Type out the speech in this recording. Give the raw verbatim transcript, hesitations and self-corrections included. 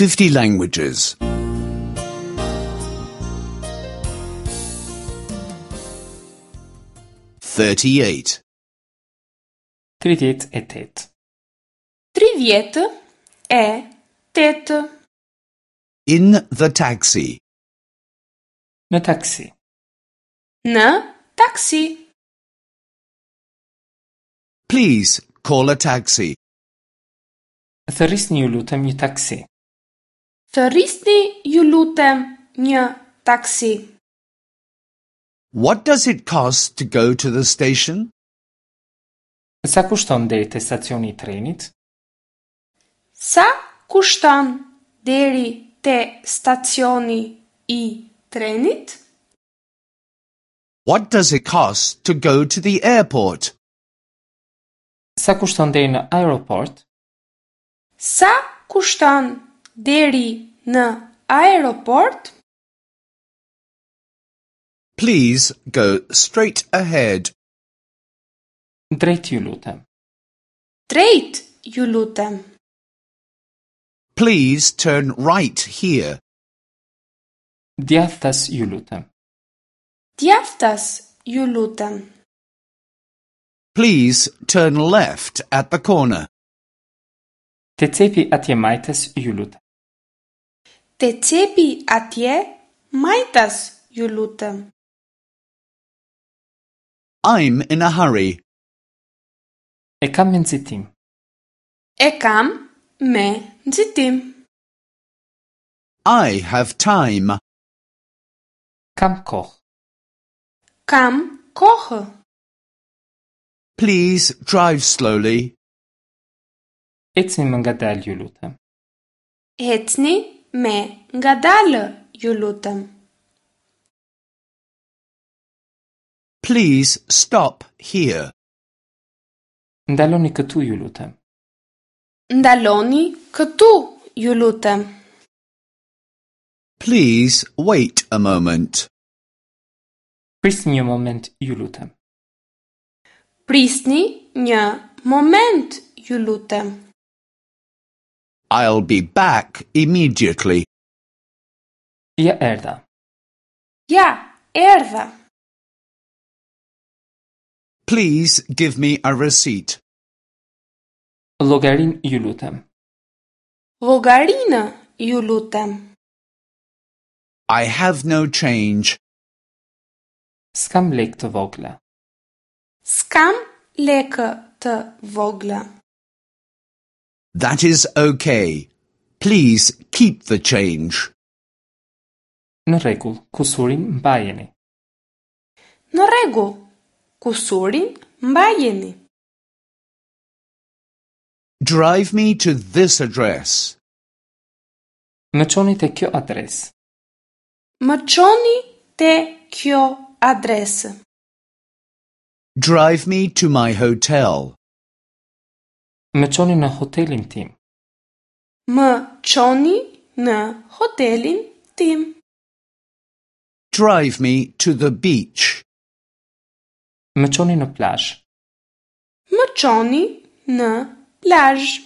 fifty languages. Thirty-eight. Tridhjetë e tetë. Tridhjetë e tetë. In the taxi. Në taksi. Në taksi. Please call a taxi. Thërrisni ju lutem një taksi. Thërrisni ju lutem një taksi. What does it cost to go to the station? Sa kushton deri te stacioni i trenit? Sa kushton deri te stacioni i trenit? What does it cost to go to the airport? Sa kushton deri në aeroport? Sa kushton deri në aeroport? Please go straight ahead. Drejt ju lutem. Drejt ju lutem. Please turn right here. Djathtas ju lutem. Djathtas ju lutem. Please turn left at the corner. Te cepi atje majtas ju lutem. Te cepi atje majtas ju lutem. I'm in a hurry. E kam me nxitim. E kam me nxitim. I have time. Kam kohë. Kam kohë. Please drive slowly. Ecni më ngadalë ju lutem. Ecni me ngadalë ju lutem. Please stop here. Ndaloni këtu ju lutem. Ndaloni këtu ju lutem. Please wait a moment. Prisni një moment ju lutem. Prisni një moment ju lutem. I'll be back immediately. Ja erdha. Ja, erdha. Please give me a receipt. Llogarin ju lutem. Llogarinë ju lutem. I have no change. S'kam lek të vogla. S'kam lekë të vogla. That is okay. Please keep the change. Në rregull, kusurin mbajeni. Në rregull, kusurin mbajeni. Drive me to this address. Më çoni te kjo adresë. Më çoni te kjo adresë. Drive me to my hotel. Më çoni në hotelin tim. Më çoni në hotelin tim. Drive me to the beach. Më çoni në plazh. Më çoni në plazh.